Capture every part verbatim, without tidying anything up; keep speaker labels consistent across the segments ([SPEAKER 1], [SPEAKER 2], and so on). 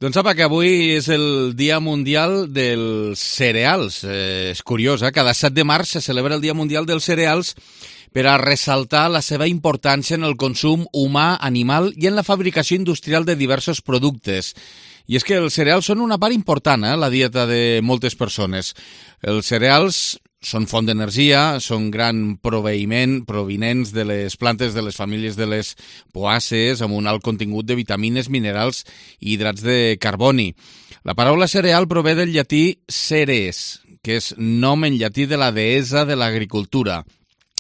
[SPEAKER 1] Doncs apa, que avui és el Dia Mundial dels Cereals. Eh, és curiós, eh? Cada set de març se celebra el Dia Mundial dels Cereals per a ressaltar la seva importància en el consum humà, animal i en la fabricació industrial de diversos productes. I és que els cereals són una part important, eh? La dieta de moltes persones. Els cereals són font d'energia, són gran proveïment provinents de les plantes de les famílies de les poàcies amb un alt contingut de vitamines, minerals i hidrats de carboni. La paraula cereal prové del llatí ceres, que és nom en llatí de la deessa de l'agricultura.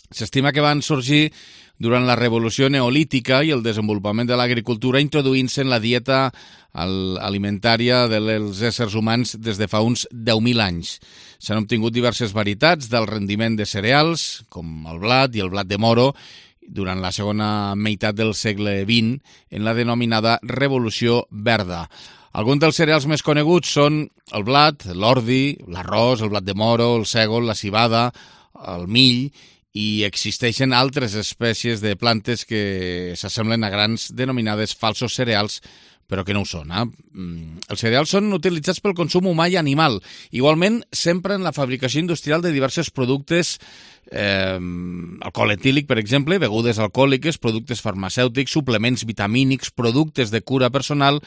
[SPEAKER 1] S'estima que van sorgir durant la revolució neolítica i el desenvolupament de l'agricultura introduint-se en la dieta alimentària dels éssers humans des de fa uns deu mil anys. S'han obtingut diverses varietats del rendiment de cereals, com el blat i el blat de moro, durant la segona meitat del segle vint, en la denominada Revolució Verda. Alguns dels cereals més coneguts són el blat, l'ordi, l'arròs, el blat de moro, el sègol, la civada, el mill, i existeixen altres espècies de plantes que s'assemblen a grans denominades falsos cereals, però que no ho són. Eh? Els cereals són utilitzats pel consum humà i animal. Igualment, sempre en la fabricació industrial de diversos productes, eh, alcohol etílic, per exemple, begudes alcohòliques, productes farmacèutics, suplements vitamínics, productes de cura personal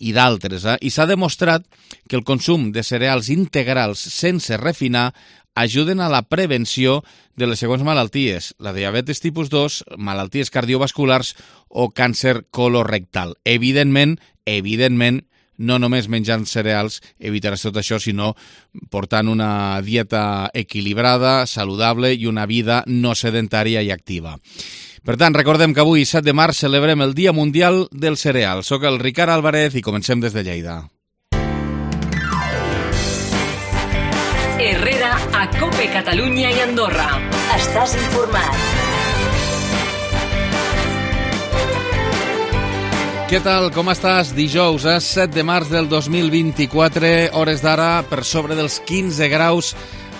[SPEAKER 1] i d'altres. Eh? I s'ha demostrat que el consum de cereals integrals sense refinar ajuden a la prevenció de les següents malalties, la diabetes tipus dos, malalties cardiovasculars o càncer colorectal. Evidentment, evidentment, no només menjant cereals evitaràs tot això, sinó portant una dieta equilibrada, saludable i una vida no sedentària i activa. Per tant, recordem que avui, set de març, celebrem el Dia Mundial del Cereal. Soc el Ricard Álvarez i comencem des de Lleida.
[SPEAKER 2] Herrera a Cope Catalunya i Andorra. Estàs informat.
[SPEAKER 1] Què tal? Com estàs? Dijous, eh? set de març del dos mil vint-i-quatre, hores d'ara per sobre dels quinze graus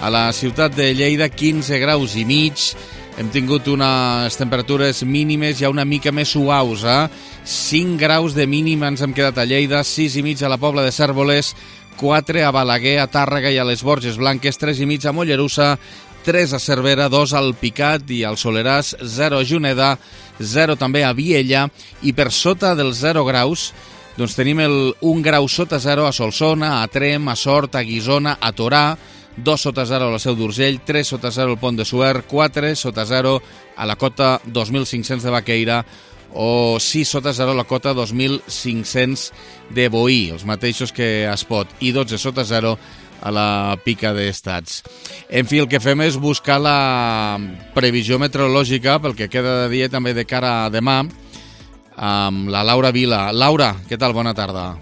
[SPEAKER 1] a la ciutat de Lleida, quinze graus i mig. Hem tingut unes temperatures mínimes ja una mica més suaus, eh? cinc graus de mínim ens hem quedat a Lleida, sis i mig a la Pobla de Cérvoles, quatre a Balaguer, a Tàrrega i a les Borges Blanques, tres i mig a Mollerussa, tres a Cervera, dos al Picat i al Soleràs, zero a Juneda, zero també a Viella, i per sota dels zero graus doncs tenim el un grau sota zero a Solsona, a Trem, a Sort, a Guissona, a Torà, dos sota zero a la Seu d'Urgell, tres sota zero al Pont de Suert, quatre sota zero a la cota dos mil cinc-cents de Baqueira, o sis sota zero a la cota dos mil cinc-cents de Boí, els mateixos que a Espot, i dotze sota zero a la Pica d'Estats. En fi, el que fem és buscar la previsió meteorològica pel que queda de dia també de cara a demà amb la Laura Vila. Laura, què tal? Bona tarda.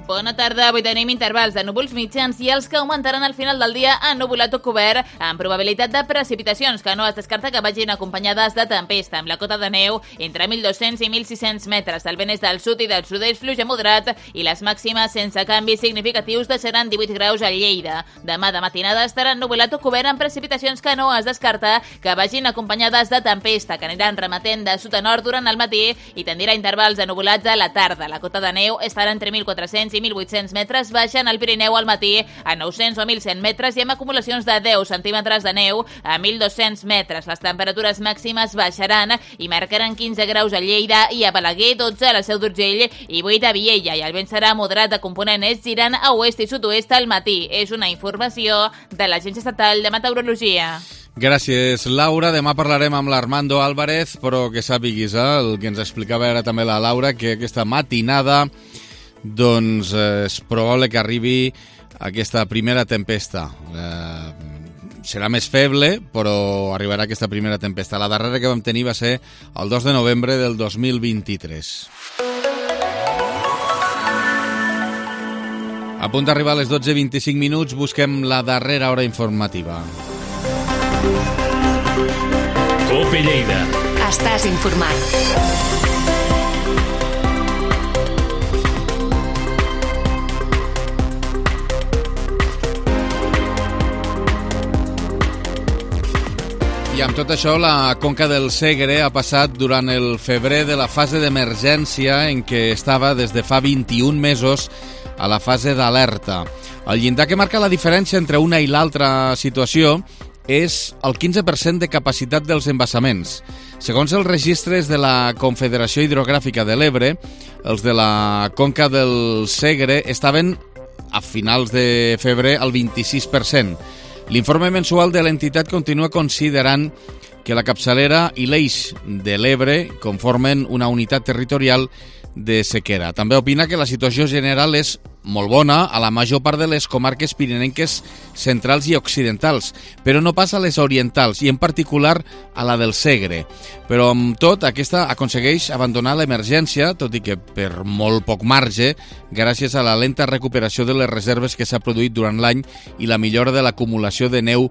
[SPEAKER 3] Bona tarda. Avui tenim intervals de núvols mitjans i els que augmentaran al final del dia ennuvolat o cobert amb probabilitat de precipitacions que no es descarta que vagin acompanyades de tempesta amb la cota de neu entre mil dos-cents i mil sis-cents metres. El vent és del sud i del sud-est fluix a moderat i les màximes sense canvis significatius deixaran divuit graus a Lleida. Demà de matinada estarà ennuvolat o cobert amb precipitacions que no es descarta que vagin acompanyades de tempesta que aniran remetent de sud a nord durant el matí i tendirà intervals de nuvolats a la tarda. La cota de neu estarà entre mil quatre-cents i mil vuit-cents metres, baixen al Pirineu al matí a nou-cents o mil cent metres i amb acumulacions de deu centímetres de neu a mil dos-cents metres. Les temperatures màximes baixaran i marcaran quinze graus a Lleida i a Balaguer, dotze a la Seu d'Urgell i vuit a Viella, i el vent serà moderat de component est girant a oest i sud-oest al matí. És una informació de l'Agència Estatal de Meteorologia.
[SPEAKER 1] Gràcies, Laura. Demà parlarem amb l'Armando Álvarez, però que sàpiguis, eh, el que ens explicava ara també la Laura, que aquesta matinada doncs eh, és probable que arribi aquesta primera tempesta. Eh, serà més feble, però arribarà aquesta primera tempesta. La darrera que vam tenir va ser el dos de novembre del dos mil vint-i-tres. A punt d'arribar a les dotze i vint-i-cinc minuts, busquem la darrera hora informativa.
[SPEAKER 2] Cope Lleida.
[SPEAKER 4] Estàs informat.
[SPEAKER 1] I amb tot això, la Conca del Segre ha passat durant el febrer de la fase d'emergència en què estava des de fa vint-i-un mesos a la fase d'alerta. El llindar que marca la diferència entre una i l'altra situació és el quinze per cent de capacitat dels embassaments. Segons els registres de la Confederació Hidrogràfica de l'Ebre, els de la conca del Segre estaven a finals de febrer al vint-i-sis per cent. L'informe mensual de l'entitat continua considerant que la capçalera i l'eix de l'Ebre conformen una unitat territorial de sequera. També opina que la situació general és molt bona a la major part de les comarques pirinenques centrals i occidentals, però no pas a les orientals i en particular a la del Segre. Però amb tot, aquesta aconsegueix abandonar l'emergència, tot i que per molt poc marge, gràcies a la lenta recuperació de les reserves que s'ha produït durant l'any i la millora de l'acumulació de neu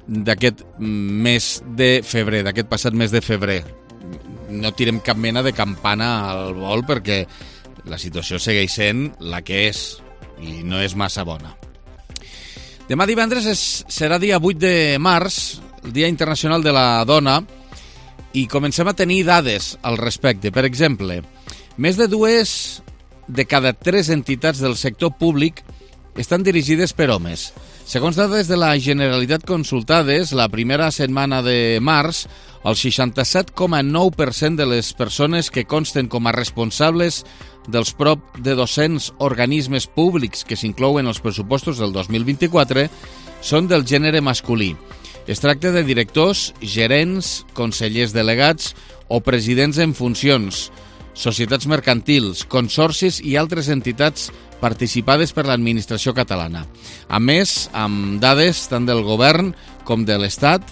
[SPEAKER 1] d'aquest mes de febrer, d'aquest passat mes de febrer. No tirem cap mena de campana al vol perquè la situació segueix sent la que és i no és massa bona. Demà divendres és, serà dia vuit de març, el Dia Internacional de la Dona, i comencem a tenir dades al respecte. Per exemple, més de dues de cada tres entitats del sector públic estan dirigides per homes. Segons dades de la Generalitat consultades, la primera setmana de març, el seixanta-set coma nou per cent de les persones que consten com a responsables dels prop de dos-cents organismes públics que s'inclouen als pressupostos del dos mil vint-i-quatre són del gènere masculí. Es tracta de directors, gerents, consellers delegats o presidents en funcions, societats mercantils, consorcis i altres entitats participades per l'administració catalana. A més, amb dades tant del govern com de l'Estat,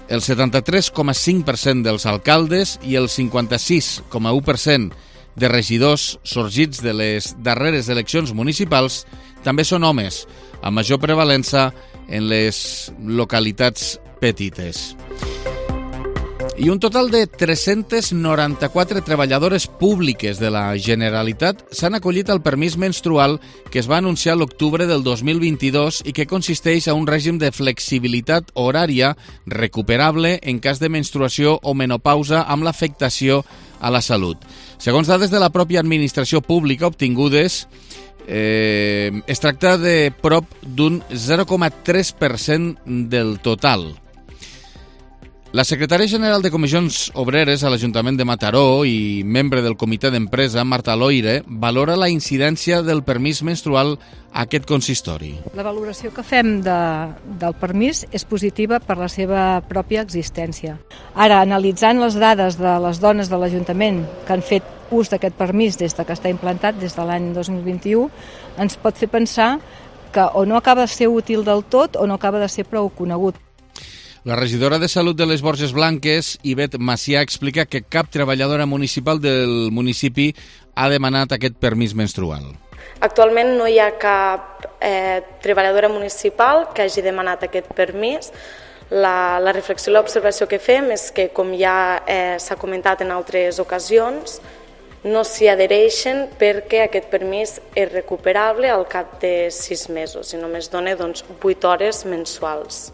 [SPEAKER 1] el setanta-tres coma cinc per cent dels alcaldes i el cinquanta-sis coma u per cent de regidors sorgits de les darreres eleccions municipals també són homes, amb major prevalença en les localitats petites. I un total de tres-centes noranta-quatre treballadores públiques de la Generalitat s'han acollit al permís menstrual que es va anunciar a l'octubre del dos mil vint-i-dos i que consisteix a un règim de flexibilitat horària recuperable en cas de menstruació o menopausa amb l'afectació a la salut. Segons dades de la pròpia administració pública obtingudes, eh, es tracta de prop d'un zero coma tres per cent del total. La secretària general de Comissions Obreres a l'Ajuntament de Mataró i membre del comitè d'empresa, Marta Loire, valora la incidència del permís menstrual a aquest consistori.
[SPEAKER 5] La valoració que fem de, del permís és positiva per la seva pròpia existència. Ara, analitzant les dades de les dones de l'Ajuntament que han fet ús d'aquest permís des de que està implantat, des de l'any dos mil vint-i-u, ens pot fer pensar que o no acaba de ser útil del tot o no acaba de ser prou conegut.
[SPEAKER 1] La regidora de Salut de les Borges Blanques, Ivet Macià, explica que cap treballadora municipal del municipi ha demanat aquest permís menstrual.
[SPEAKER 6] Actualment no hi ha cap eh, treballadora municipal que hagi demanat aquest permís. La, la reflexió i l'observació que fem és que, com ja eh, s'ha comentat en altres ocasions, no s'hi adhereixen perquè aquest permís és recuperable al cap de sis mesos i només dona doncs, vuit hores mensuals.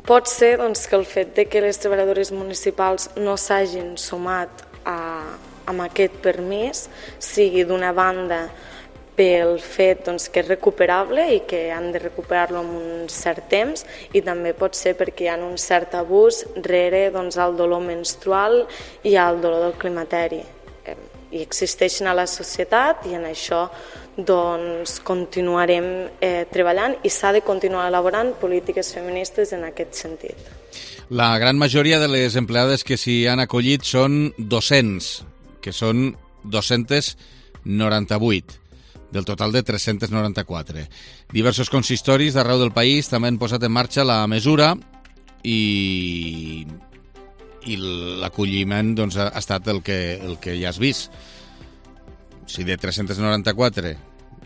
[SPEAKER 6] Pot ser doncs, que el fet de que les treballadores municipals no s'hagin sumat a, a aquest permís sigui d'una banda pel fet doncs, que és recuperable i que han de recuperar-lo en un cert temps i també pot ser perquè hi ha un cert abús rere doncs, el dolor menstrual i el dolor del climateri. I existeixen a la societat i en això doncs, continuarem eh, treballant i s'ha de continuar elaborant polítiques feministes en aquest sentit.
[SPEAKER 1] La gran majoria de les empleades que s'hi han acollit són docents, que són dos-cents noranta-vuit, del total de tres-cents noranta-quatre. Diversos consistoris d'arreu del país també han posat en marxa la mesura i... i l'acolliment doncs, ha estat el que, el que ja has vist. O sigui, de tres-cents noranta-quatre,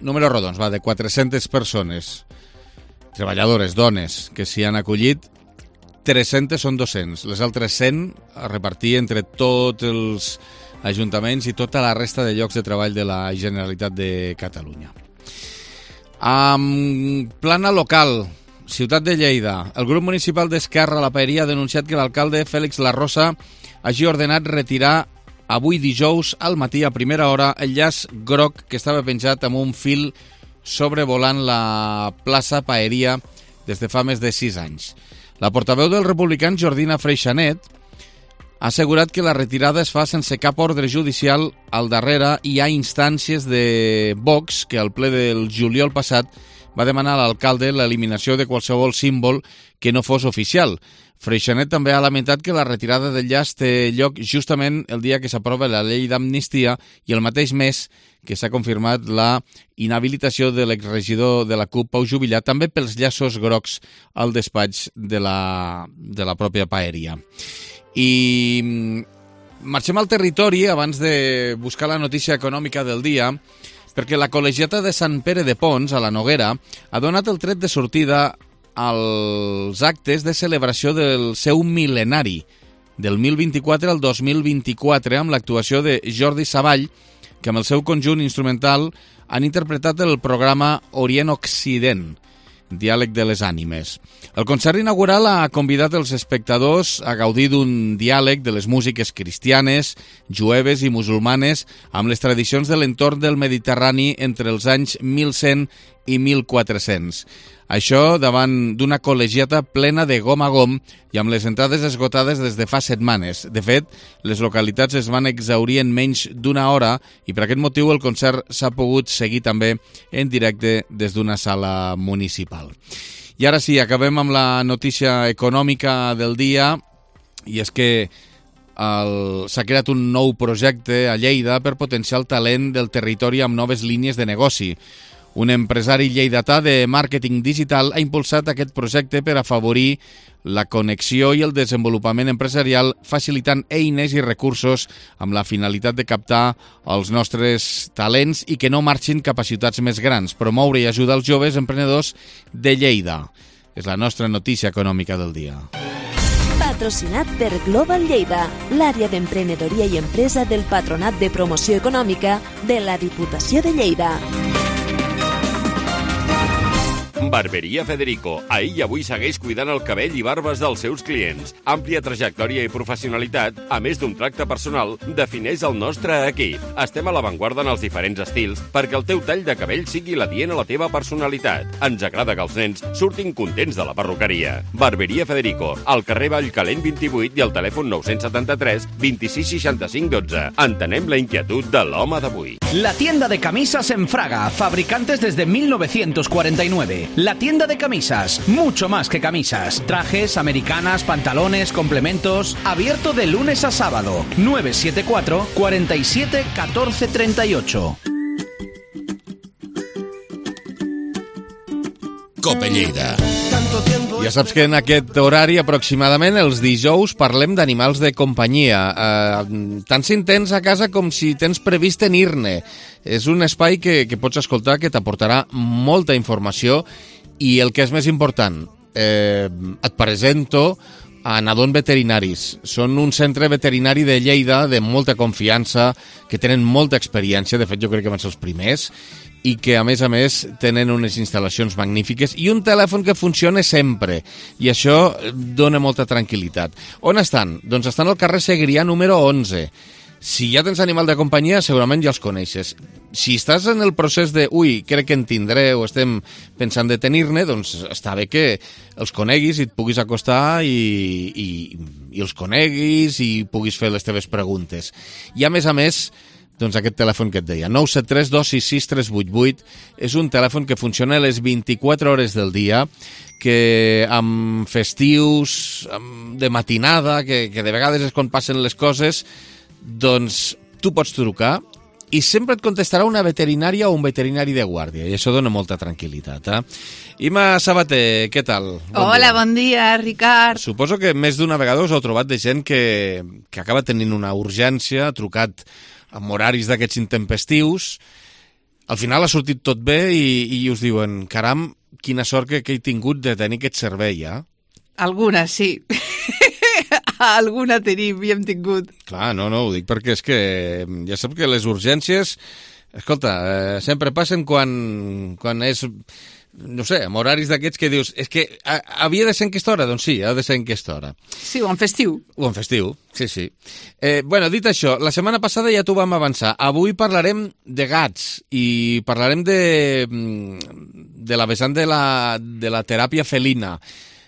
[SPEAKER 1] números rodons, va, de quatre-centes persones, treballadores, dones, que s'hi han acollit, tres-centes són dos-cents, les altres cent a repartir entre tots els ajuntaments i tota la resta de llocs de treball de la Generalitat de Catalunya. Amb plana local, Ciutat de Lleida, el grup municipal d'Esquerra a la Paeria ha denunciat que l'alcalde Fèlix Larrosa hagi ordenat retirar avui dijous al matí a primera hora el llaç groc que estava penjat amb un fil sobrevolant la plaça Paeria des de fa més de sis anys. La portaveu dels republicans, Jordina Freixanet, ha assegurat que la retirada es fa sense cap ordre judicial al darrere i hi ha instàncies de Vox que al ple del juliol passat va demanar a l'alcalde l'eliminació de qualsevol símbol que no fos oficial. Freixanet també ha lamentat que la retirada del llaç té lloc justament el dia que s'aprova la llei d'amnistia i el mateix mes que s'ha confirmat la inhabilitació de l'exregidor de la CUP, Pau Juvillà, també pels llaços grocs al despatx de la, de la pròpia Paeria. I marxem al territori abans de buscar la notícia econòmica del dia, perquè la col·legiata de Sant Pere de Pons, a la Noguera, ha donat el tret de sortida als actes de celebració del seu mil·lenari, del mil vint-i-quatre al dos mil vint-i-quatre, amb l'actuació de Jordi Savall, que amb el seu conjunt instrumental han interpretat el programa Orient-Occident, Diàleg de les Ànimes. El concert inaugural ha convidat els espectadors a gaudir d'un diàleg de les músiques cristianes, jueves i musulmanes amb les tradicions de l'entorn del Mediterrani entre els anys mil cent i mil quatre-cents. Això davant d'una col·legiata plena de gom a gom i amb les entrades esgotades des de fa setmanes. De fet, les localitats es van exhaurir en menys d'una hora i per aquest motiu el concert s'ha pogut seguir també en directe des d'una sala municipal. I ara sí, acabem amb la notícia econòmica del dia, i és que el... s'ha creat un nou projecte a Lleida per potenciar el talent del territori amb noves línies de negoci. Un empresari lleidatà de màrqueting digital ha impulsat aquest projecte per afavorir la connexió i el desenvolupament empresarial, facilitant eines i recursos amb la finalitat de captar els nostres talents i que no marxin cap a ciutats més grans, promoure i ajudar els joves emprenedors de Lleida. És la nostra notícia econòmica del dia.
[SPEAKER 7] Patrocinat per Global Lleida, l'àrea d'emprenedoria i empresa del Patronat de Promoció Econòmica de la Diputació de Lleida.
[SPEAKER 8] Barberia Federico. Ahir i avui segueix cuidant el cabell i barbes dels seus clients. Àmplia trajectòria i professionalitat, a més d'un tracte personal, defineix el nostre equip. Estem a l'avantguarda en els diferents estils perquè el teu tall de cabell sigui l'adient a la teva personalitat. Ens agrada que els nens surtin contents de la perruqueria. Barberia Federico, al carrer Vallcalent vint-i-vuit i al telèfon nou setanta-tres vint-i-sis seixanta-cinc dotze. Entenem la inquietud de l'home d'avui.
[SPEAKER 9] La tienda de camisas en Fraga, fabricantes desde mil novecientos cuarenta y nueve. La tienda de camisas, mucho más que camisas. Trajes, americanas, pantalones, complementos. Abierto de lunes a sábado. nueve siete cuatro, cuarenta y siete, catorce treinta y ocho.
[SPEAKER 1] Cope Lleida. Ja saps que en aquest horari, aproximadament, els dijous, parlem d'animals de companyia. Eh, tant si en tens a casa com si tens previst tenir-ne. És un espai que, que pots escoltar que t'aportarà molta informació i el que és més important, eh, et presento a Nadon Veterinaris. Són un centre veterinari de Lleida de molta confiança, que tenen molta experiència, de fet jo crec que van ser els primers, i que a més a més tenen unes instal·lacions magnífiques i un telèfon que funciona sempre, i això dona molta tranquil·litat. On estan? Doncs estan al carrer Segrià número onze. Si ja tens animal de companyia, segurament ja els coneixes. Si estàs en el procés de, ui, crec que en tindré o estem pensant de tenir-ne, doncs està bé que els coneguis i et puguis acostar i, i, i els coneguis i puguis fer les teves preguntes. I a més a més, doncs aquest telèfon que et deia, nou set tres dos sis sis tres vuit vuit, és un telèfon que funciona a les vint-i-quatre hores del dia, que amb festius, amb de matinada, que, que de vegades és quan passen les coses, doncs tu pots trucar i sempre et contestarà una veterinària o un veterinari de guàrdia, i això dona molta tranquil·litat. Eh? Ima Sabater, què tal?
[SPEAKER 10] Bon Hola, dia. Bon dia, Ricard.
[SPEAKER 1] Suposo que més d'una vegada us heu trobat de gent que, que acaba tenint una urgència, ha trucat amb horaris d'aquests intempestius, al final ha sortit tot bé i, i us diuen, caram, quina sort que, que he tingut de tenir aquest servei, ja? Eh?
[SPEAKER 10] Alguna, sí. Alguna tenim i hem tingut.
[SPEAKER 1] Clar, no, no, ho dic perquè és que ja sap que les urgències Escolta, eh, sempre passen quan, quan és, no sé, amb horaris d'aquests que dius, és que a, havia de ser en aquesta hora? Doncs sí, ha de ser en aquesta hora.
[SPEAKER 10] Sí, o en festiu.
[SPEAKER 1] O en festiu, sí, sí. Eh, bueno, dit això, la setmana passada ja t'ho vam avançar. Avui parlarem de gats i parlarem de, de la vessant de la, de la teràpia felina,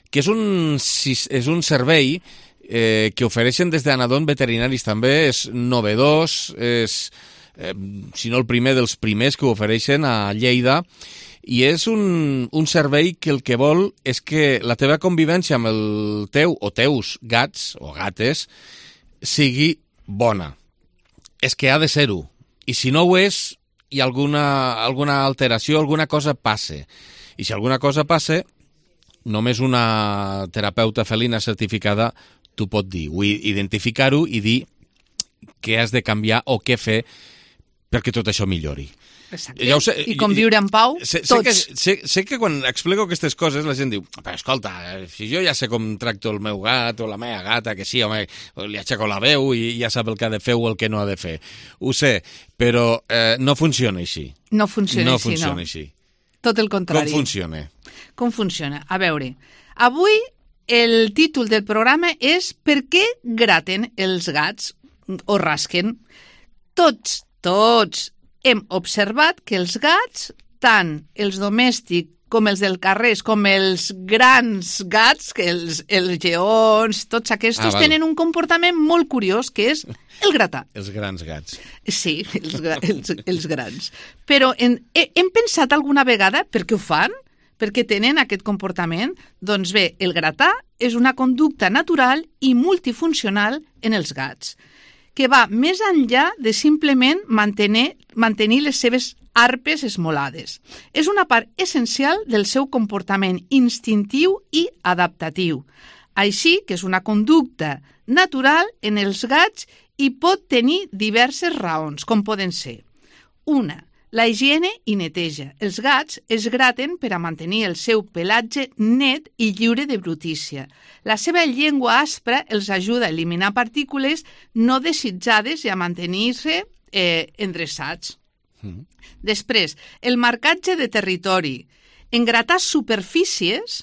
[SPEAKER 1] que és un, és un servei eh, que ofereixen des d'Anadon Veterinaris també, és novedós, és, eh, si no el primer dels primers que ho ofereixen a Lleida, i és un, un servei que el que vol és que la teva convivència amb el teu o teus gats o gates sigui bona. És que ha de ser-ho. I si no ho és, hi ha alguna, alguna alteració, alguna cosa passe. I si alguna cosa passe, només una terapeuta felina certificada t'ho pot dir, identificar-ho i dir què has de canviar o què fer perquè tot això millori.
[SPEAKER 10] Exacte. Ja sé, I conviure en pau,
[SPEAKER 1] sé,
[SPEAKER 10] tots.
[SPEAKER 1] Sé que, sé, sé que quan explico aquestes coses la gent diu, però escolta, si jo ja sé com tracto el meu gat o la meva gata, que sí, home, li aixeco la veu i ja sap el que ha de fer o el que no ha de fer. Ho sé, però eh, no funciona així.
[SPEAKER 10] No funciona
[SPEAKER 1] no
[SPEAKER 10] així,
[SPEAKER 1] funciona
[SPEAKER 10] no.
[SPEAKER 1] així.
[SPEAKER 10] Tot el contrari.
[SPEAKER 1] Com funciona?
[SPEAKER 10] Com funciona? A veure, avui el títol del programa és Per què graten els gats o rasquen? Tots, tots hem observat que els gats, tant els domèstics com els del carrer, com els grans gats, que els, els lleons, tots aquests, ah, tenen un comportament molt curiós, que és el gratar.
[SPEAKER 1] Els grans gats.
[SPEAKER 10] Sí, els, els, els grans. Però en, hem pensat alguna vegada per què ho fan? Per què tenen aquest comportament? Doncs bé, el gratar és una conducta natural i multifuncional en els gats, que va més enllà de simplement mantenir, mantenir les seves arpes esmolades. És una part essencial del seu comportament instintiu i adaptatiu. Així que és una conducta natural en els gats i pot tenir diverses raons, com poden ser. Una, la higiene i neteja. Els gats es graten per a mantenir el seu pelatge net i lliure de brutícia. La seva llengua aspra els ajuda a eliminar partícules no desitjades i a mantenir-se eh, endreçats. Mm. Després, el marcatge de territori. En gratar superfícies,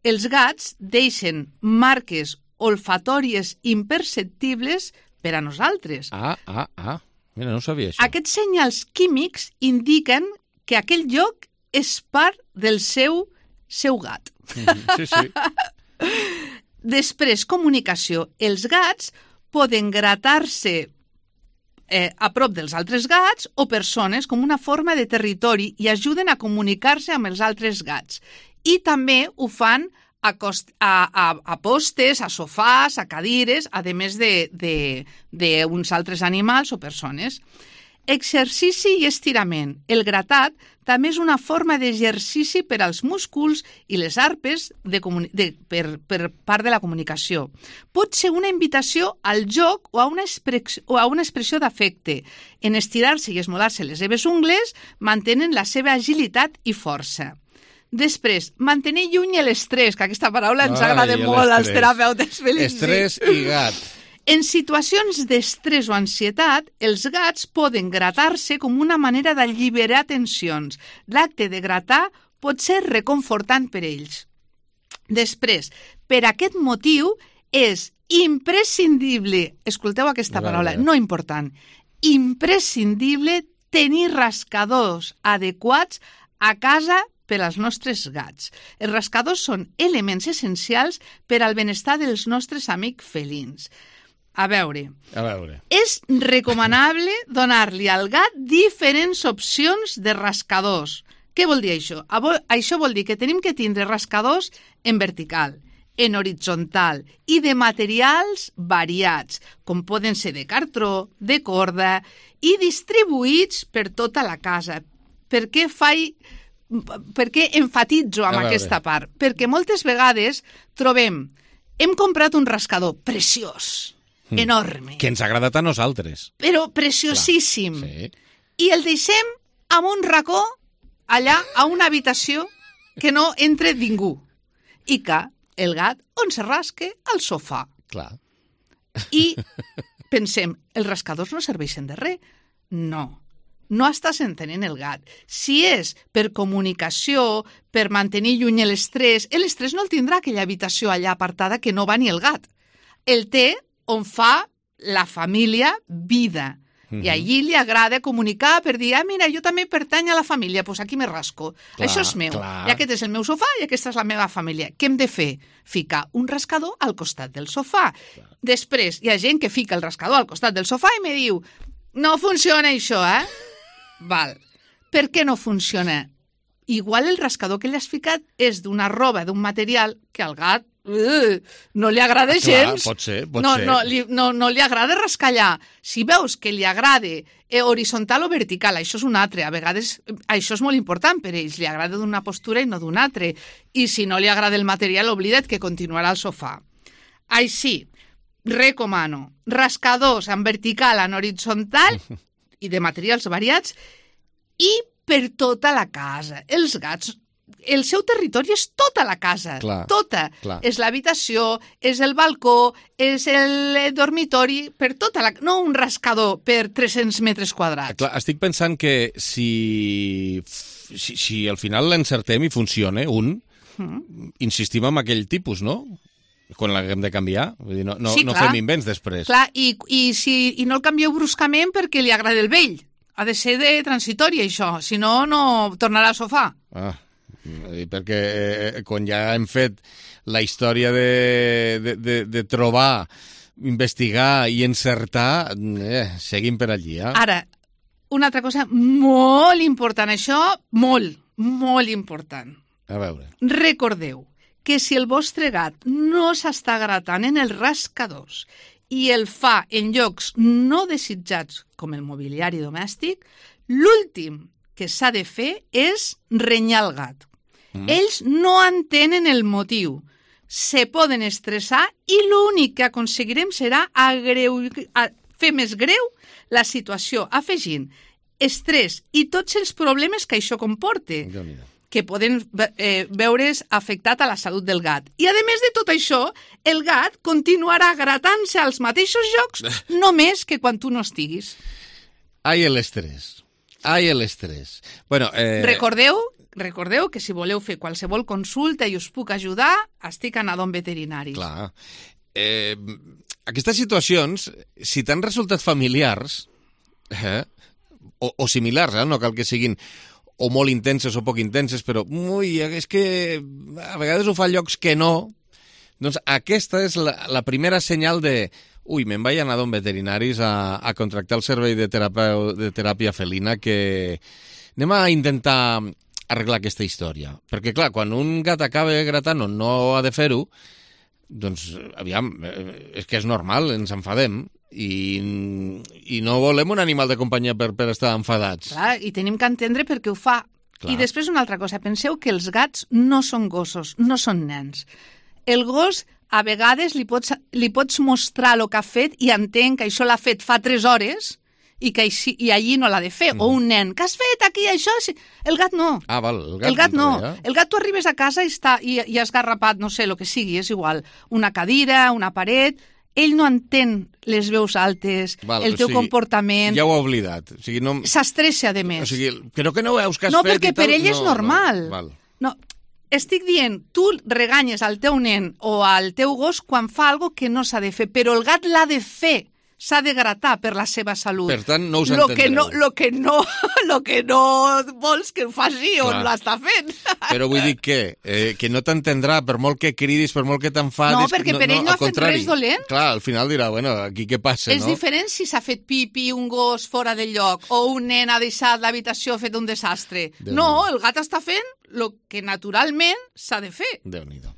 [SPEAKER 10] els gats deixen marques olfatòries imperceptibles per a nosaltres.
[SPEAKER 1] Ah, ah, ah. Mira, no sabia això.
[SPEAKER 10] Aquests senyals químics indiquen que aquell lloc és part del seu, seu gat.
[SPEAKER 1] Mm-hmm. Sí, sí.
[SPEAKER 10] Després, comunicació. Els gats poden gratar-se eh, a prop dels altres gats o persones com una forma de territori i ajuden a comunicar-se amb els altres gats. I també ho fan a, cost, a, a, a postes, a sofàs, a cadires, a més d'uns altres animals o persones. Exercici i estirament. El gratat també és una forma d'exercici per als músculs i les arpes de de, per, per part de la comunicació. Pot ser una invitació al joc o a una, o a una expressió d'afecte. En estirar-se i esmolar-se les seves ungles mantenen la seva agilitat i força. Després, mantenir lluny l'estrès, que aquesta paraula ens agrada molt als terapeutes felins.
[SPEAKER 1] Estrès i gat.
[SPEAKER 10] En situacions d'estrès o ansietat, els gats poden gratar-se com una manera d'alliberar tensions. L'acte de gratar pot ser reconfortant per ells. Després, per aquest motiu, és imprescindible, escolteu aquesta paraula, no important, imprescindible tenir rascadors adequats a casa per als nostres gats. Els rascadors són elements essencials per al benestar dels nostres amics felins. A veure,
[SPEAKER 1] a veure.
[SPEAKER 10] És recomanable donar-li al gat diferents opcions de rascadors. Què vol dir això? Això vol dir que tenim que tindre rascadors en vertical, en horitzontal i de materials variats, com poden ser de cartró, de corda i distribuïts per tota la casa. Per què faig... Per què enfatitzo amb aquesta part? Perquè moltes vegades trobem, hem comprat un rascador preciós, mm. enorme.
[SPEAKER 1] Que ens ha agradat a nosaltres.
[SPEAKER 10] Però preciosíssim.
[SPEAKER 1] Sí.
[SPEAKER 10] I el deixem en un racó, allà, a una habitació, que no entre ningú. I que el gat on se rasque al sofà.
[SPEAKER 1] Clar.
[SPEAKER 10] I pensem, els rascadors no serveixen de res. No. no estàs entenent el gat. Si és per comunicació, per mantenir lluny l'estrès, l'estrès no el tindrà aquella habitació allà apartada que no va ni el gat. El té on fa la família vida. I allí li agrada comunicar per dir, ah, mira, jo també pertany a la família, doncs pues aquí me rasco. Clar, això és meu. Clar. I aquest és el meu sofà i aquesta és la meva família. Què hem de fer? Ficar un rascador al costat del sofà. Clar. Després, hi ha gent que fica el rascador al costat del sofà i me diu, no funciona això, eh? Val. Per què no funciona? Igual el rascador que li has ficat és d'una roba, d'un material que al gat Uh, no li agrada gens.
[SPEAKER 1] Clar, pot ser, pot
[SPEAKER 10] no,
[SPEAKER 1] ser.
[SPEAKER 10] No, li, no, no li agrada rascallar. Si veus que li agrada eh, horitzontal o vertical, això és un altre. A vegades això és molt important per ells. Li agrada d'una postura i no d'un altre. I si no li agrada el material, oblida't que continuarà al sofà. Així, recomano rascadors en vertical, en horitzontal i de materials variats i per tota la casa. Els gats el seu territori és tota la casa,
[SPEAKER 1] clar,
[SPEAKER 10] tota.
[SPEAKER 1] Clar. És
[SPEAKER 10] l'habitació, és el balcó, és el dormitori, per tota la... No un rascador per tres-cents metres quadrats.
[SPEAKER 1] Clar, estic pensant que si, si, si al final l'encertem i funciona, un, mm. insistim en aquell tipus, no? Quan l'haguem de canviar. Vull dir, no, no,
[SPEAKER 10] sí,
[SPEAKER 1] no fem invents després.
[SPEAKER 10] Clar, i, i, si, i no el canvieu bruscament perquè li agrada el vell. Ha de ser de transitori, això. Si no, no tornarà al sofà.
[SPEAKER 1] Ah, perquè eh, quan ja hem fet la història de, de, de, de trobar, investigar i encertar, eh, seguim per allí. Eh?
[SPEAKER 10] Ara, una altra cosa molt important, això, molt, molt important.
[SPEAKER 1] A veure.
[SPEAKER 10] Recordeu que si el vostre gat no s'està gratant en els rascadors i el fa en llocs no desitjats com el mobiliari domèstic, l'últim que s'ha de fer és renyar el gat. Mm. Ells no entenen el motiu, se poden estressar i l'únic que aconseguirem serà agreu... fer més greu la situació, afegint estrès i tots els problemes que això comporta, que poden eh, veure's afectat a la salut del gat. I, a més de tot això, el gat continuarà gratant-se als mateixos llocs només que quan tu no estiguis.
[SPEAKER 1] Ai, l'estrès. Ai, l'estrès. Bueno, eh...
[SPEAKER 10] Recordeu... Recordeu que si voleu fer qualsevol consulta i us puc ajudar, estic a Nadon Veterinari.
[SPEAKER 1] Clar. Eh, aquestes situacions, si t'han resultat familiars, eh, o, o similars, eh, no cal que siguin o molt intenses o poc intenses, però ui, és que a vegades ho fa a llocs que no, doncs aquesta és la, la primera senyal de ui, me'n vaig a Nadon Veterinaris a, a contractar el servei de teràpia, de teràpia felina, que anem a intentar arreglar aquesta història. Perquè, clar, quan un gat acaba gratant o no ha de fer-ho, doncs, aviam, és que és normal, ens enfadem i, i no volem un animal de companyia per, per estar enfadats.
[SPEAKER 10] Clar, i tenim que entendre per què ho fa. Clar. I després una altra cosa, penseu que els gats no són gossos, no són nens. El gos, a vegades, li pots, li pots mostrar el que ha fet i entén que això l'ha fet fa tres hores i que així, i allí no l'ha de fer. Mm. O un nen, què has fet aquí, això? El gat no.
[SPEAKER 1] Ah, val, el gat,
[SPEAKER 10] el gat no.
[SPEAKER 1] Ja.
[SPEAKER 10] El gat tu arribes a casa i, està, i, i has garrapat, no sé, el que sigui, és igual, una cadira, una paret, ell no entén les veus altes, val, el teu o sigui, comportament...
[SPEAKER 1] Ja ho ha oblidat. O sigui, no...
[SPEAKER 10] S'estressa, a més.
[SPEAKER 1] O sigui, però que no veus que has
[SPEAKER 10] no,
[SPEAKER 1] fet i tal...
[SPEAKER 10] No, perquè per ell és
[SPEAKER 1] no,
[SPEAKER 10] normal.
[SPEAKER 1] No, val.
[SPEAKER 10] No, estic dient, tu reganyes al teu nen o al teu gos quan fa algo que no s'ha de fer, però el gat l'ha de fer. S'ha de gratar per la seva salut.
[SPEAKER 1] Per tant, no us
[SPEAKER 10] lo
[SPEAKER 1] entendreu.
[SPEAKER 10] Que no, lo, que no, lo que no vols que ho faci o no l'està fent.
[SPEAKER 1] Però vull dir que, eh, que no t'entendrà per molt que cridis, per molt que t'enfadis...
[SPEAKER 10] No, perquè per no, ell no ha fet contrari. Res dolent.
[SPEAKER 1] Clar, al final dirà, bueno, aquí què passa,
[SPEAKER 10] és
[SPEAKER 1] no?
[SPEAKER 10] És diferent si s'ha fet pipi un gos fora del lloc o un nen ha deixat l'habitació fet un desastre. Déu no, el gat està fent el que naturalment s'ha de fer.
[SPEAKER 1] Déu-n'hi-do.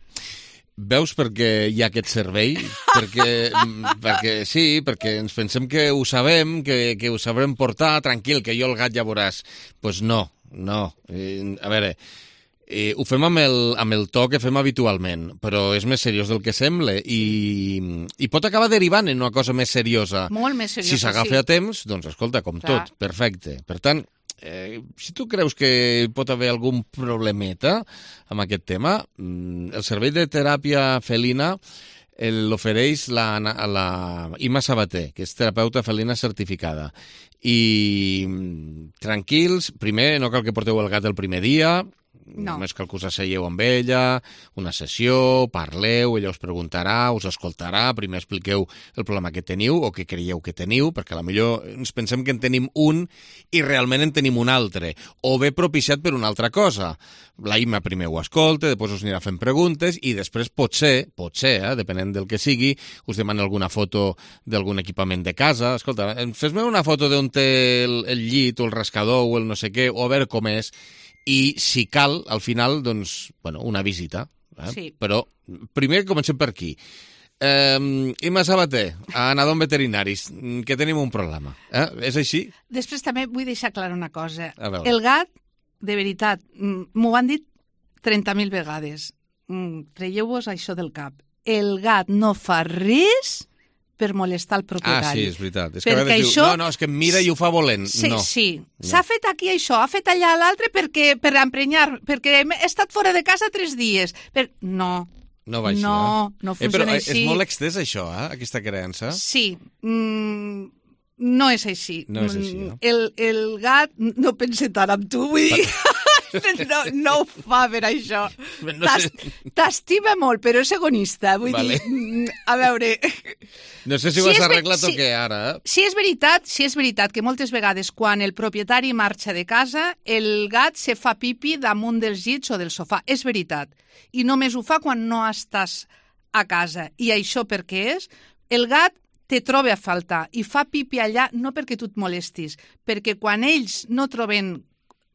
[SPEAKER 1] Veus perquè hi ha aquest servei? perquè, perquè sí, perquè ens pensem que ho sabem, que, que ho sabrem portar, tranquil, que jo el gat ja veuràs. Doncs pues no, no. Eh, a veure, eh, ho fem amb el, amb el to que fem habitualment, però és més seriós del que sembla i, i pot acabar derivant en una cosa més seriosa.
[SPEAKER 10] Molt més seriosa,
[SPEAKER 1] si s'agafa
[SPEAKER 10] sí.
[SPEAKER 1] a temps, doncs escolta, com Clar. Tot, perfecte. Per tant, Eh, si tu creus que pot haver algun problemeta amb aquest tema, el servei de teràpia felina l'ofereix la, la Ima Sabater, que és terapeuta felina certificada. I tranquils, primer, no cal que porteu el gat el primer dia,
[SPEAKER 10] no.
[SPEAKER 1] Només cal que us asseieu amb ella, una sessió, parleu, ella us preguntarà, us escoltarà, primer expliqueu el problema que teniu o que creieu que teniu, perquè a la millor ens pensem que en tenim un i realment en tenim un altre, o bé propiciat per una altra cosa. La Ima primer ho escolta, després us anirà fent preguntes i després potser, potser, eh, depenent del que sigui, us demana alguna foto d'algun equipament de casa. Escolta, fes-me una foto d'on té el, el llit o el rascador o el no sé què, o a veure com és, i si cal, al final, doncs, bueno, una visita. Eh?
[SPEAKER 10] Sí.
[SPEAKER 1] Però primer comencem per aquí. Eh, Ima Sabater, a Anadom Veterinaris, que tenim un problema. Eh? És així?
[SPEAKER 10] Després també vull deixar clar una cosa.
[SPEAKER 1] veure.
[SPEAKER 10] El gat, de veritat, m'ho han dit trenta mil vegades. Traieu-vos això del cap. El gat no fa res per molestar el propietari.
[SPEAKER 1] Ah, sí, és veritat. És
[SPEAKER 10] perquè
[SPEAKER 1] que a vegades
[SPEAKER 10] això...
[SPEAKER 1] diu, no, no, és que em mira i ho fa volent.
[SPEAKER 10] Sí,
[SPEAKER 1] no.
[SPEAKER 10] sí.
[SPEAKER 1] No.
[SPEAKER 10] S'ha fet aquí això, ha fet allà l'altre perquè, per emprenyar, perquè he estat fora de casa tres dies. Per... No.
[SPEAKER 1] No va així,
[SPEAKER 10] no,
[SPEAKER 1] eh?
[SPEAKER 10] no
[SPEAKER 1] eh,
[SPEAKER 10] funciona
[SPEAKER 1] però
[SPEAKER 10] així.
[SPEAKER 1] és molt extès, això, eh? Aquesta creença.
[SPEAKER 10] Sí. Mm, no és així.
[SPEAKER 1] No és així, no?
[SPEAKER 10] El, el gat no pensa tant en tu, vull dir... No, no ho fa per això.
[SPEAKER 1] No sé.
[SPEAKER 10] T'estima molt, però és egonista. Vull
[SPEAKER 1] vale.
[SPEAKER 10] dir, a veure...
[SPEAKER 1] No sé si, si ho has arreglat si, o què, ara. Eh?
[SPEAKER 10] Si és veritat, si és veritat que moltes vegades quan el propietari marxa de casa, el gat se fa pipi damunt dels llits o del sofà. És veritat. I només ho fa quan no estàs a casa. I això per què és? El gat te troba a faltar i fa pipi allà no perquè tu et molestis, perquè quan ells no troben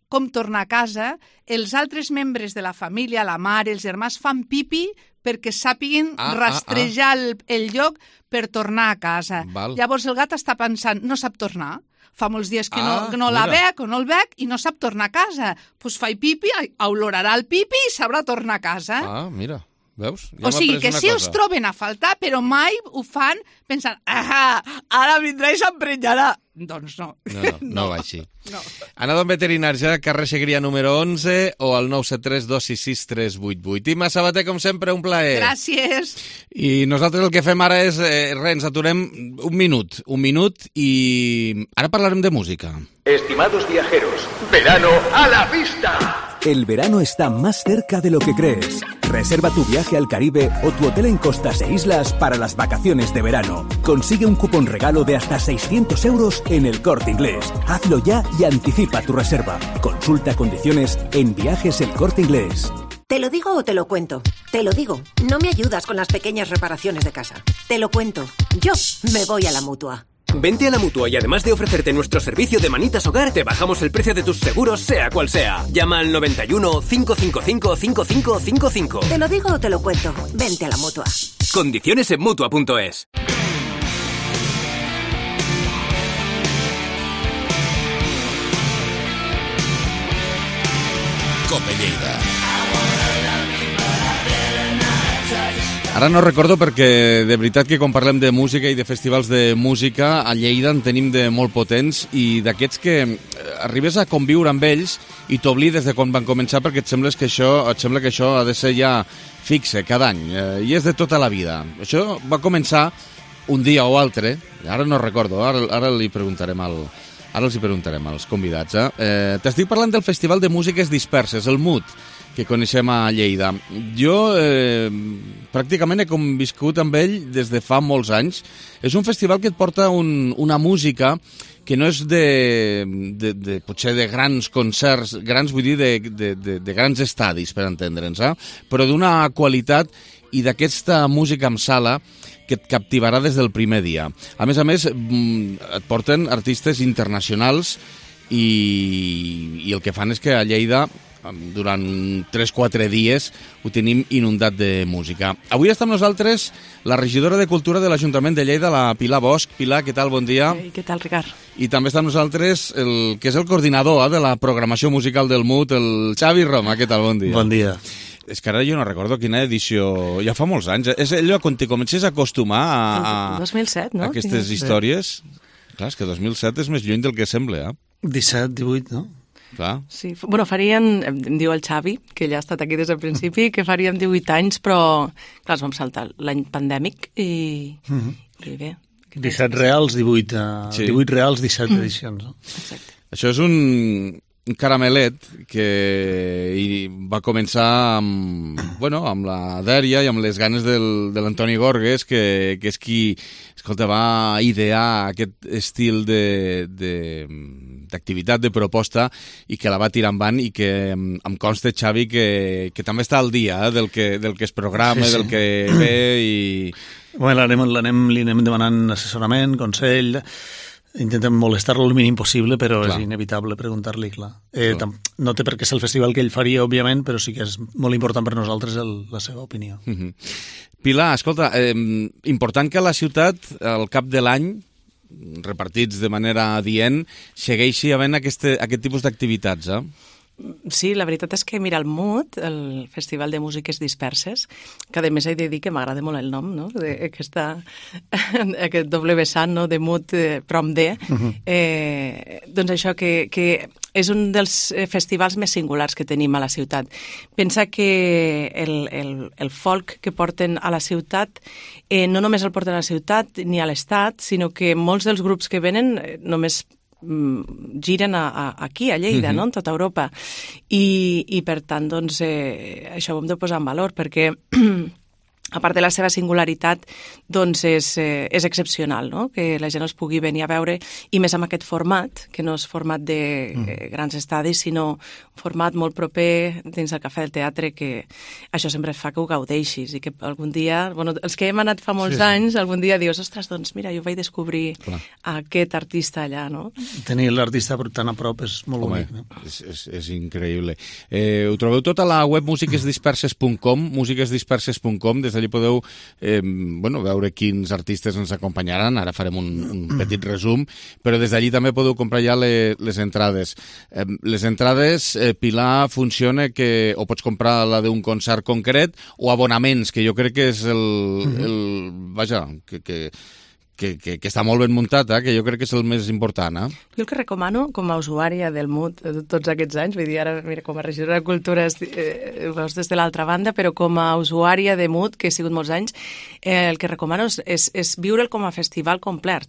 [SPEAKER 10] com tornar a casa, els altres membres de la família, la mare, els germans, fan pipi perquè sàpiguen
[SPEAKER 1] ah,
[SPEAKER 10] rastrejar
[SPEAKER 1] ah, ah.
[SPEAKER 10] El, el lloc per tornar a casa.
[SPEAKER 1] Val.
[SPEAKER 10] Llavors el gat està pensant, no sap tornar. Fa molts dies que
[SPEAKER 1] ah,
[SPEAKER 10] no, que no la veig o no el veig i no sap tornar a casa. Doncs pues fa pipi, olorarà el pipi i sabrà tornar a casa.
[SPEAKER 1] Ah, mira. Veus? Ja
[SPEAKER 10] o sigui que sí
[SPEAKER 1] cosa.
[SPEAKER 10] els troben a faltar, però mai ho fan pensant, ah, ara vindrà i s'emprenyarà. Doncs no.
[SPEAKER 1] No, no, no, no va així.
[SPEAKER 10] No.
[SPEAKER 1] Anadom Veterinaris, eh? Carrer Segrià número onze o al nou set tres dos sis sis tres vuit vuit. Ima Sabater, com sempre, un plaer.
[SPEAKER 10] Gràcies.
[SPEAKER 1] I nosaltres el que fem ara és, eh, res, ens aturem un minut, un minut i ara parlarem de música.
[SPEAKER 11] Estimados viajeros, verano a la vista.
[SPEAKER 12] El verano está más cerca de lo que crees. Reserva tu viaje al Caribe o tu hotel en costas e islas para las vacaciones de verano. Consigue un cupón regalo de hasta seiscientos euros en El Corte Inglés. Hazlo ya y anticipa tu reserva. Consulta condiciones en Viajes El Corte Inglés.
[SPEAKER 13] ¿Te lo digo o te lo cuento? Te lo digo. No me ayudas con las pequeñas reparaciones de casa. Te lo cuento. Yo me voy a la Mutua.
[SPEAKER 14] Vente a la Mutua y además de ofrecerte nuestro servicio de manitas hogar, te bajamos el precio de tus seguros, sea cual sea. Llama al noventa y uno, cinco cinco cinco, cinco cinco cinco cinco.
[SPEAKER 13] Te lo digo o te lo cuento. Vente a la Mutua.
[SPEAKER 14] Condiciones en Mutua punto es.
[SPEAKER 1] Cope Lleida. Ara no recordo perquè de veritat que quan parlem de música i de festivals de música a Lleida en tenim de molt potents i d'aquests que arribes a conviure amb ells i t'oblides de quan van començar perquè et sembla que això, et sembla que això ha de ser ja fixe cada any eh, i és de tota la vida. Això va començar un dia o altre, ara no recordo, ara, ara li preguntarem al, ara els hi preguntarem als convidats. Eh? Eh, T'estic parlant del Festival de Músiques Disperses, el M U D, que coneixem a Lleida. Jo eh, pràcticament he conviscut amb ell des de fa molts anys. És un festival que et porta un, una música que no és de, de, de potser de grans concerts, grans vull dir de, de, de, de grans estadis, per entendre'ns, eh? Però d'una qualitat i d'aquesta música amb sala que et captivarà des del primer dia. A més a més, et porten artistes internacionals i, i el que fan és que a Lleida durant tres quatre dies ho tenim inundat de música. Avui està amb nosaltres la regidora de Cultura de l'Ajuntament de Lleida, la Pilar Bosch. Pilar, què tal? Bon dia.
[SPEAKER 15] Hey, què tal, Ricard?
[SPEAKER 1] I també està amb nosaltres el que és el coordinador eh, de la programació musical del M U D, el Xavi Roma. Què tal? Bon dia.
[SPEAKER 16] Bon dia.
[SPEAKER 1] És que ara jo no recordo quina edició... Ja fa molts anys. És allò quan te comences a acostumar a, a,
[SPEAKER 15] dos mil set, no?
[SPEAKER 1] a aquestes històries. Clar, és que dos mil set és més lluny del que sembla, eh?
[SPEAKER 16] disset, divuit, no?
[SPEAKER 1] Clar.
[SPEAKER 15] Sí, bueno, farien, em diu el Xavi, que ja ha estat aquí des del principi, que faríem divuit anys, però clar, ens vam saltar l'any pandèmic i,
[SPEAKER 16] Mhm.
[SPEAKER 15] i bé.
[SPEAKER 16] disset reals, divuit, uh,
[SPEAKER 1] Sí.
[SPEAKER 16] divuit reals, disset edicions. No?
[SPEAKER 15] Exacte.
[SPEAKER 1] Això és un, un caramelet que i va començar amb, bueno, amb la Dèria i amb les ganes del, de l'Antoni Gorgues, que, que és qui, escolta, va idear aquest estil de, de, d'activitat, de proposta, i que la va tirar endavant i que em, em consta, Xavi, que, que també està al dia eh, del, que, del que es programa,
[SPEAKER 16] Sí, sí.
[SPEAKER 1] del que ve i...
[SPEAKER 16] Bueno, l'anem, l'anem, li anem demanant assessorament, consell, intentem molestar-lo el mínim possible, però
[SPEAKER 1] Clar.
[SPEAKER 16] és inevitable preguntar-li, clar. Eh,
[SPEAKER 1] Clar.
[SPEAKER 16] tam- no té per què ser el festival que ell faria, òbviament, però sí que és molt important per nosaltres el, la seva opinió.
[SPEAKER 1] Uh -huh. Pilar, escolta, eh, important que a la ciutat, al cap de l'any, repartits de manera adient, segueixi havent aquest, aquest tipus d'activitats, eh?
[SPEAKER 15] Sí, la veritat és que, mira, el M U D, el Festival de Músiques Disperses, que a més he de dir que m'agrada molt el nom, no?, d'aquesta, aquest doble vessant, no?, de M U D eh, prom D,
[SPEAKER 17] Mhm.
[SPEAKER 15] eh, doncs això, que, que és un dels festivals més singulars que tenim a la ciutat. Pensa que el, el, el folk que porten a la ciutat, eh, no només el porten a la ciutat ni a l'Estat, sinó que molts dels grups que venen eh, només giren a, a, aquí, a Lleida,
[SPEAKER 17] Mhm.
[SPEAKER 15] no?, en tota Europa. I, i per tant, doncs, eh, això ho hem de posar en valor, perquè a part de la seva singularitat, doncs és, eh, és excepcional, no?, que la gent els pugui venir a veure, i més amb aquest format, que no és format de eh, grans estadis, sinó un format molt proper dins del Cafè del Teatre, que això sempre fa que ho gaudeixis, i que algun dia, bueno, els que hem anat fa molts
[SPEAKER 16] Sí, sí.
[SPEAKER 15] anys, algun dia dius, ostres, doncs mira, jo vaig descobrir
[SPEAKER 16] Clar.
[SPEAKER 15] aquest artista allà, no?
[SPEAKER 16] Tenir l'artista tan a prop és molt
[SPEAKER 1] Home,
[SPEAKER 16] bonic. No?
[SPEAKER 1] és, és, és increïble. Eh, ho trobeu tot a la web músiques disperses punt com, músiques disperses punt com, des d'allí podeu eh, bueno, veure quins artistes ens acompanyaran, ara farem un, un petit resum, però des d'allí també podeu comprar ja le, les entrades. Eh, les entrades, eh, Pilar, funciona que o pots comprar la d'un concert concret o abonaments, que jo crec que és el... el vaja, que... que Que, que, que està molt ben muntat, eh? Que jo crec que és el més important. Eh?
[SPEAKER 15] Jo el que recomano, com a usuària del M U D de tots aquests anys, vull dir, ara, mira, com a regidora de Cultura eh, veus des de l'altra banda, però com a usuària de M U D, que he sigut molts anys, eh, el que recomano és, és, és viure'l com a festival complet,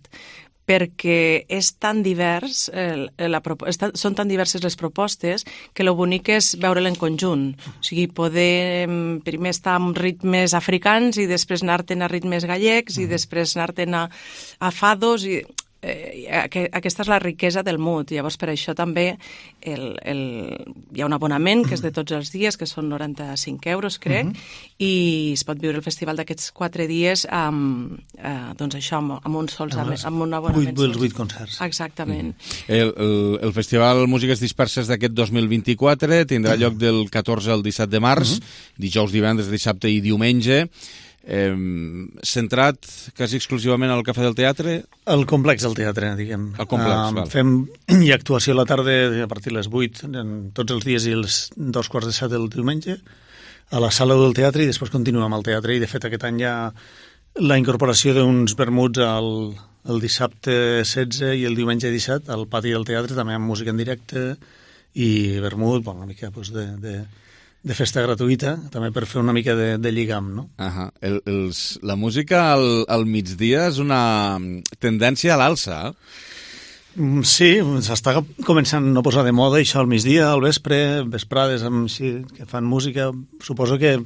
[SPEAKER 15] perquè és tan divers, eh, la, està, són tan diverses les propostes, que el bonic és veure'l en conjunt. O sigui, poder primer estar amb ritmes africans i després anar-te'n a ritmes gallecs i després anar-te'n a, a fados i... Eh, aquesta és la riquesa del M U D. Llavors, per això també el, el, hi ha un abonament que és de tots els dies, que són noranta-cinc euros, crec, uh -huh. i es pot viure el festival d'aquests quatre dies amb, eh, doncs això, amb, amb un sols, amb, amb un abonament.
[SPEAKER 16] Vuit, vuit concerts.
[SPEAKER 15] Exactament.
[SPEAKER 1] Mm. El, el, el Festival Músiques Disperses d'aquest dos mil vint-i-quatre tindrà lloc del catorze al disset de març, uh -huh. dijous, divendres, dissabte i diumenge. Eh, centrat quasi exclusivament al Cafè del Teatre?
[SPEAKER 16] El complex del teatre, diguem.
[SPEAKER 1] El complex,
[SPEAKER 16] um,
[SPEAKER 1] val.
[SPEAKER 16] Fem hi actuació a la tarda a partir de les vuit, en tots els dies i els dos quarts de set del diumenge, a la sala del teatre, i després continuem amb el teatre, i de fet aquest any hi ha la incorporació d'uns vermuts al, el dissabte setze i el diumenge disset al pati del teatre, també amb música en directe i vermut, bueno, una mica pues, de... de de festa gratuïta, també per fer una mica de, de lligam, no?
[SPEAKER 1] Uh-huh. el, els, la música al, al migdia és una tendència a l'alça, eh?
[SPEAKER 16] Sí, s'està començant a posar de moda això al migdia, al vespre, vesprades amb, sí, que fan música. Suposo que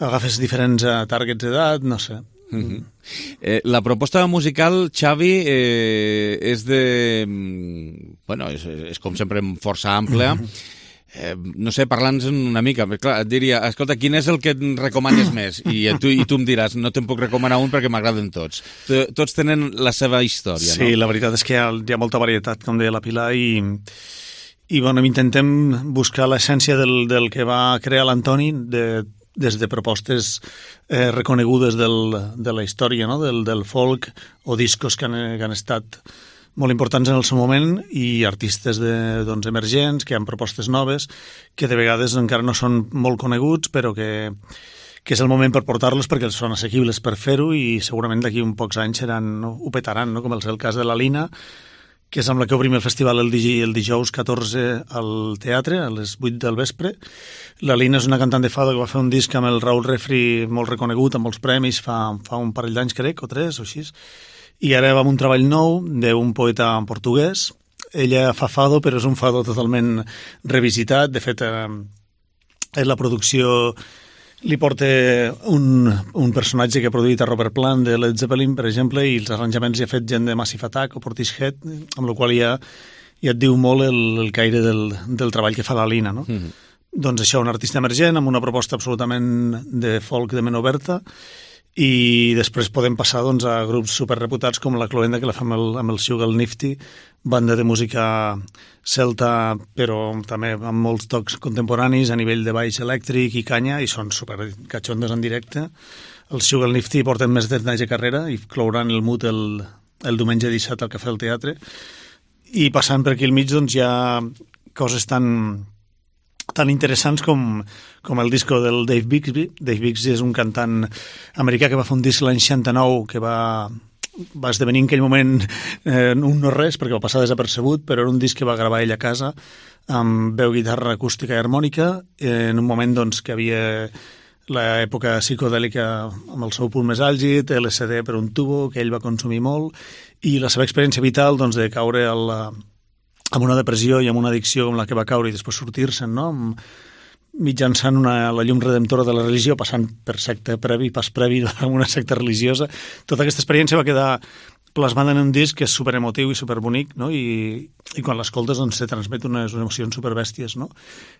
[SPEAKER 16] agafes diferents uh, targets d'edat, no sé.
[SPEAKER 1] Uh-huh. Eh, la proposta musical, Xavi, eh, és de... Bueno, és, és com sempre força àmplia. Eh, no sé, parla'ns una mica. Clar, et diria, escolta, quin és el que et recomanes més? I tu, i tu em diràs, no te'n puc recomanar un perquè m'agraden tots. Tots tenen la seva història,
[SPEAKER 16] sí,
[SPEAKER 1] no?
[SPEAKER 16] Sí, la veritat és que hi ha, hi ha molta varietat, com deia la Pilar, i, i bueno, intentem buscar l'essència del, del que va crear l'Antoni de, des de propostes eh, reconegudes del, de la història, no? del, del folk, o discos que han, que han estat molt importants en el seu moment, i artistes de, doncs, emergents, que han propostes noves, que de vegades encara no són molt coneguts, però que, que és el moment per portar-los perquè són assequibles per fer-ho, i segurament d'aquí uns pocs anys seran, no? Ho petaran, no? Com és el cas de la Lina, que és amb la que obrim el festival el, dij el dijous catorze al teatre, a les vuit del vespre. La Lina és una cantant de fado que va fer un disc amb el Raúl Refri molt reconegut, amb molts premis, fa, fa un parell d'anys, crec, o tres, o així. I ara va amb un treball nou d'un poeta en portuguès. Ella fa fado, però és un fado totalment revisitat. De fet, eh, la producció li porta un, un personatge que ha produït a Robert Plant de Led Zeppelin, per exemple, i els arranjaments hi ha fet gent de Massive Attack o Portishead, amb la qual ja, ja et diu molt el, el caire del, del treball que fa la Lina, no? Mm-hmm. Doncs això, un artista emergent amb una proposta absolutament de folk de ment oberta, i després podem passar doncs, a grups superreputats com la Cloenda, que la fa amb el, amb el Sugar Nifty, banda de música celta, però també amb molts tocs contemporanis a nivell de baix elèctric i canya, i són super catxondes en directe. El Sugar Nifty porten més de trenta anys de carrera i clouran el Mood el, el diumenge disset al Cafè del Teatre. I passant per aquí al mig doncs, hi ha coses tan tan interessants com, com el disco del Dave Bixby. Dave Bixby és un cantant americà que va fer un disc l'any seixanta-nou que va, va esdevenir en aquell moment eh, un no res perquè va passar desapercebut, però era un disc que va gravar ell a casa amb veu, guitarra acústica i harmònica eh, en un moment doncs, que havia l'època psicodèlica amb el seu punt més àlgid, L S D per un tubo que ell va consumir molt, i la seva experiència vital doncs, de caure al amb una depressió i amb una addicció com la que va caure i després sortir-se'n, no? Mitjançant una, la llum redemptora de la religió, passant per secta previ, pas previ amb una secta religiosa. Tota aquesta experiència va quedar plasmada en un disc que és superemotiu i superbonic, no? I, i quan l'escoltes doncs, se transmet unes emocions superbèsties, no?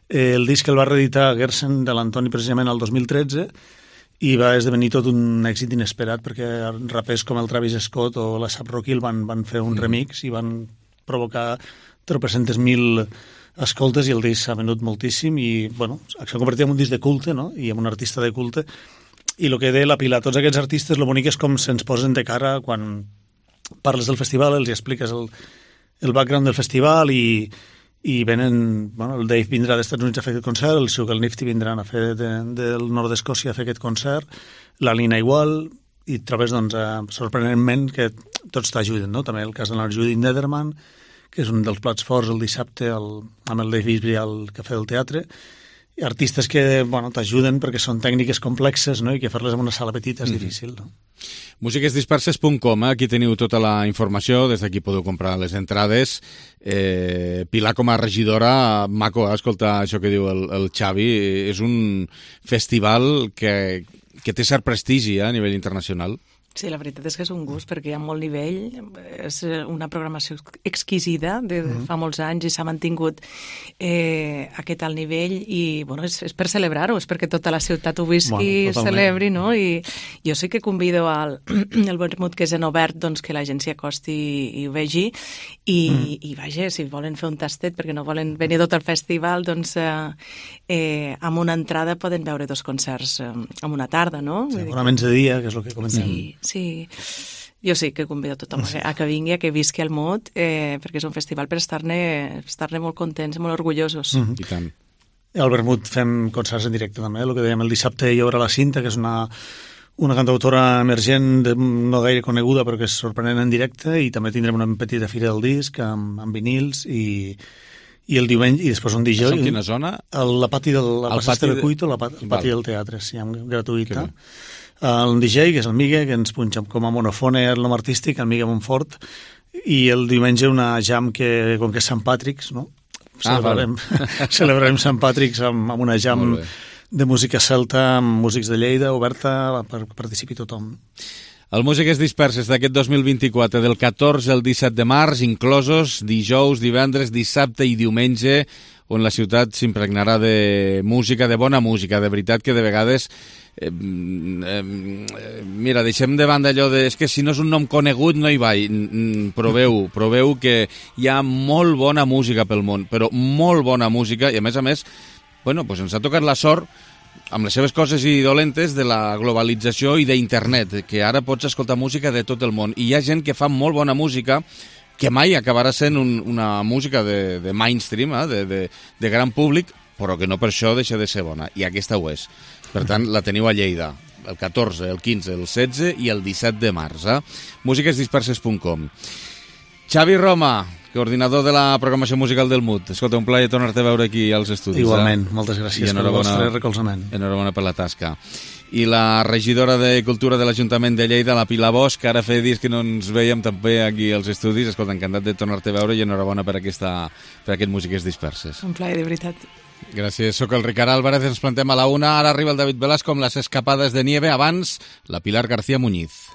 [SPEAKER 16] Eh, el disc el va reeditar Gersen de l'Antoni precisament el dos mil tretze i va esdevenir tot un èxit inesperat perquè rapers com el Travis Scott o la A$ap Rocky el van, van fer un remix i van provocar tropecentes mil escoltes i el disc s'ha venut moltíssim i bueno, s'ha convertit en un disc de culte, no? I en un artista de culte, i el que deia la Pilar, tots aquests artistes, el bonic és com se'ns posen de cara quan parles del festival, els expliques el, el background del festival i, i venen, bueno, el Dave vindrà dels Estats Units a fer aquest concert, el Sugar Nifty vindran a fer de, del nord d'Escòcia a fer aquest concert, la Lina igual, i trobes doncs, eh, sorprenentment que tots t'ajuden, no? També el cas de la Judith Nederman, que és un dels plats forts el dissabte el, amb el Dave Bixby al Cafè del Teatre, i artistes que bueno, t'ajuden perquè són tècniques complexes, no? I que fer-les en una sala petita és mm-hmm. difícil. No?
[SPEAKER 1] músiques disperses punt com, eh? Aquí teniu tota la informació, des d'aquí podeu comprar les entrades. Eh, Pilar, com a regidora, maco, eh? Escolta això que diu el, el Xavi, és un festival que, que té cert prestigi eh? A nivell internacional.
[SPEAKER 15] Sí, la veritat és que és un gust perquè hi ha molt nivell, és una programació exquisida de mm-hmm. fa molts anys i s'ha mantingut eh, aquest alt nivell i bueno, és, és per celebrar-ho, és perquè tota la ciutat ho visqui, bueno, celebri, no? I jo sí que convido al el vermut que és en obert doncs, que la gent s'hi acosti i, i ho vegi i, mm. i vaja, si volen fer un tastet perquè no volen venir tot al festival, doncs eh, eh, amb una entrada poden veure dos concerts eh, en una tarda, no?
[SPEAKER 16] Sí, fonaments de dia, que és el que comencem.
[SPEAKER 15] Sí. Sí, jo sí que convido a tothom a que vingui, a que visqui el Mood, eh, perquè és un festival per estar-ne estar-ne molt contents, molt orgullosos.
[SPEAKER 16] Mm-hmm. I tant. Al Vermut fem concerts en directe també, el que dèiem el dissabte hi haurà la Cinta, que és una, una cantautora emergent de, no gaire coneguda però que és sorprenent en directe, i també tindrem una petita fira del disc amb, amb vinils i i el diumenge, i després un dijous...
[SPEAKER 1] En quina zona?
[SPEAKER 16] El, la pati del la pati de Cuito, la pati, pati del teatre, sí, gratuïta. El D J, que és el Migue, que ens punxa com a monofone el nom artístic, el Migue Montfort, i el diumenge una jam que, com que és Sant Patrick's, no? Celebrarem, ah, vale. celebrarem Sant Patrick's amb, amb una jam de música celta, amb músics de Lleida, oberta, per que participi tothom.
[SPEAKER 1] El Músiques Disperses d'aquest dos mil vint-i-quatre, del catorze al disset de març, inclosos dijous, divendres, dissabte i diumenge, on la ciutat s'impregnarà de música, de bona música, de veritat que de vegades... Eh, eh, mira, deixem de banda allò de és que si no és un nom conegut no hi vaig. Proveu, proveu que hi ha molt bona música pel món, però molt bona música, i a més a més, bueno, pues ens ha tocat la sort amb les seves coses i dolentes de la globalització i d'internet, que ara pots escoltar música de tot el món, i hi ha gent que fa molt bona música que mai acabarà sent un, una música de, de mainstream, eh? de, de, de gran públic, però que no per això deixa de ser bona, i aquesta ho és. Per tant, la teniu a Lleida, el catorze, el quinze, el setze i el disset de març. Eh? músiques disperses punt com. Xavi Roma, coordinador de la programació musical del M U T. Escolta, un plaer tornar-te a veure aquí als estudis.
[SPEAKER 16] Igualment,
[SPEAKER 1] eh?
[SPEAKER 16] moltes gràcies pel vostre recolzament.
[SPEAKER 1] Enhorabona per la tasca. I la regidora de Cultura de l'Ajuntament de Lleida, la Pilar Bosch, ara feia dies que no ens veiem també aquí als estudis. Escolta, encantat de tornar-te a veure i enhorabona per, aquesta, per aquest Músiques Disperses.
[SPEAKER 15] Un plaer, de veritat.
[SPEAKER 1] Gràcies, sóc el Ricard Álvarez, ens plantem a la una, ara arriba el David Velasco amb les escapades de nieve, abans la Pilar García Muñiz.